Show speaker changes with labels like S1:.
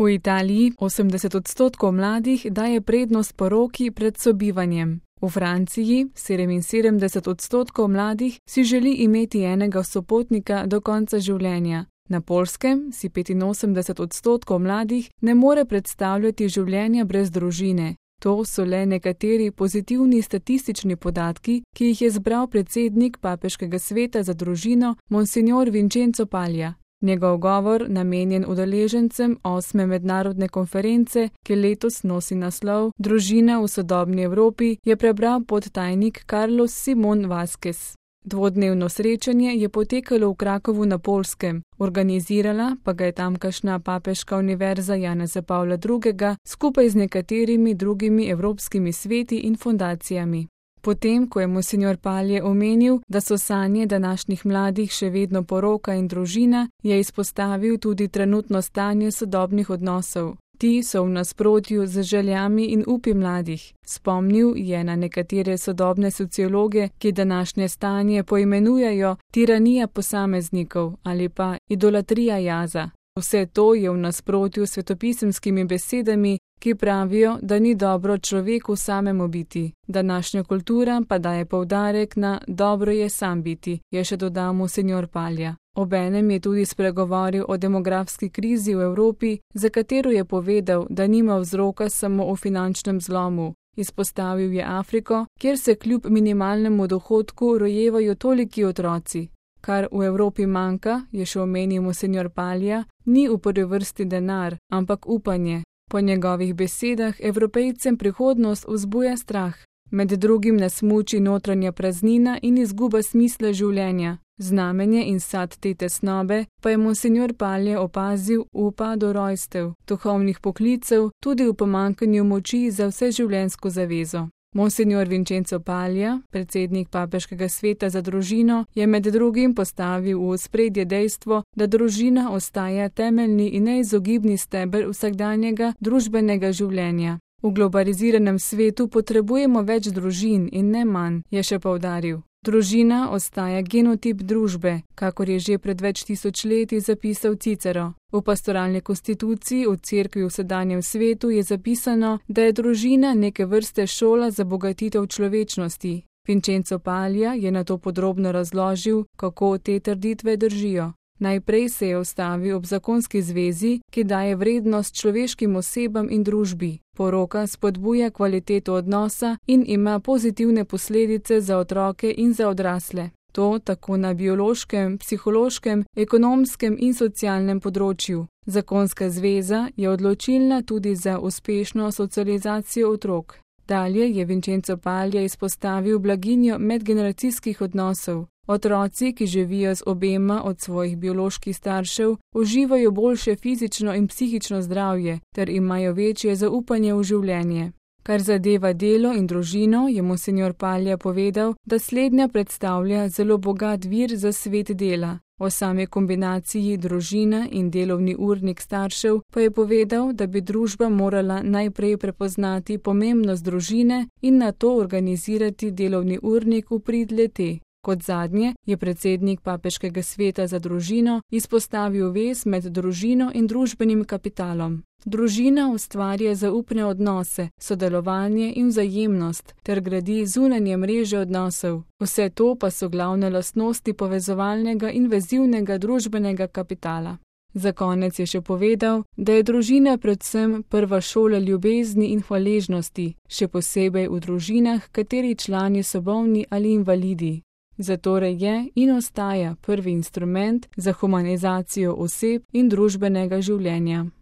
S1: V Italiji 80% mladih daje prednost poroki pred sobivanjem. V Franciji 77% mladih si želi imeti enega sopotnika do konca življenja. Na Poljskem si 85% mladih ne more predstavljati življenja brez družine. To so le nekateri pozitivni statistični podatki, ki jih je zbral predsednik Papeškega sveta za družino Monsignor Vincenzo Paglia. Njegov govor, namenjen udeležencem 8. mednarodne konference, ki letos nosi naslov Družina v sodobni Evropi, je prebral podtajnik Carlos Simón Vázquez. Dvodnevno srečanje je potekalo v Krakovu na Poljskem, organizirala pa ga je tamkajšnja Papeška univerza Janeza Pavla II. Skupaj z nekaterimi drugimi evropskimi sveti in fundacijami. Potem, ko je monsignor Paglia omenil, da so sanje današnjih mladih še vedno poroka in družina, je izpostavil tudi trenutno stanje sodobnih odnosov. Ti so v nasprotju z željami in upi mladih. Spomnil je na nekatere sodobne sociologe, ki današnje stanje poimenujejo tiranija posameznikov ali pa idolatrija jaza. Vse to je v nasprotju s svetopisemskimi besedami, ki pravijo, da ni dobro človeku samemu biti. Današnja kultura pa daje poudarek na dobro je sam biti, je še dodal monsignor Paglia. Obenem je tudi spregovoril o demografski krizi v Evropi, za katero je povedal, da nima vzroka samo v finančnem zlomu. Izpostavil je Afriko, kjer se kljub minimalnemu dohodku rojevajo toliki otroci. Kar v Evropi manjka, je še omenil monsignor Paglia, ni v prvi vrsti denar, ampak upanje. Po njegovih besedah Evropejcem prihodnost vzbuja strah. Med drugim nas muči notranja praznina in izguba smisla življenja. Znamenje in sad te tesnobe pa je monsignor Paglia opazil v upadu rojstev, duhovnih poklicev, tudi v pomanjkanju moči za vseživljenjsko zavezo. Monsignor Vincenzo Paglia, predsednik Papeškega sveta za družino, je med drugim postavil v ospredje dejstvo, da družina ostaja temeljni in neizogibni steber vsakdanjega družbenega življenja. V globaliziranem svetu potrebujemo več družin in ne manj, je še poudaril. Družina ostaja genotip družbe, kakor je že pred več tisočletji zapisal Cicero. V pastoralni konstituciji v cerkvi v sedanjem svetu je zapisano, da je družina neke vrste šola za bogatitev človečnosti. Vincenzo Paglia je nato podrobno razložil, kako te trditve držijo. Najprej se je ustavil ob zakonski zvezi, ki daje vrednost človeškim osebam in družbi. Poroka spodbuja kvaliteto odnosa in ima pozitivne posledice za otroke in za odrasle. To tako na biološkem, psihološkem, ekonomskem in socialnem področju. Zakonska zveza je odločilna tudi za uspešno socializacijo otrok. Dalje je Vincenzo Paglia izpostavil blaginjo medgeneracijskih odnosov. Otroci, ki živijo z obema od svojih bioloških staršev, uživajo boljše fizično in psihično zdravje ter imajo večje zaupanje v življenje. Kar zadeva delo in družino, je monsignor Paglia povedal, da slednja predstavlja zelo bogat vir za svet dela. O sami kombinaciji družina in delovni urnik staršev pa je povedal, da bi družba morala najprej prepoznati pomembnost družine in nato organizirati delovni urnik v prid le-te. Kot zadnje je predsednik Papeškega sveta za družino izpostavil vez med družino in družbenim kapitalom. Družina ustvarja zaupne odnose, sodelovanje in vzajemnost ter gradi zunanje mreže odnosov. Vse to pa so glavne lastnosti povezovalnega in vezivnega družbenega kapitala. Za konec je še povedal, da je družina predvsem prva šola ljubezni in hvaležnosti, še posebej v družinah, kateri člani so bolni ali invalidi. Zatorej je in ostaja prvi instrument za humanizacijo oseb in družbenega življenja.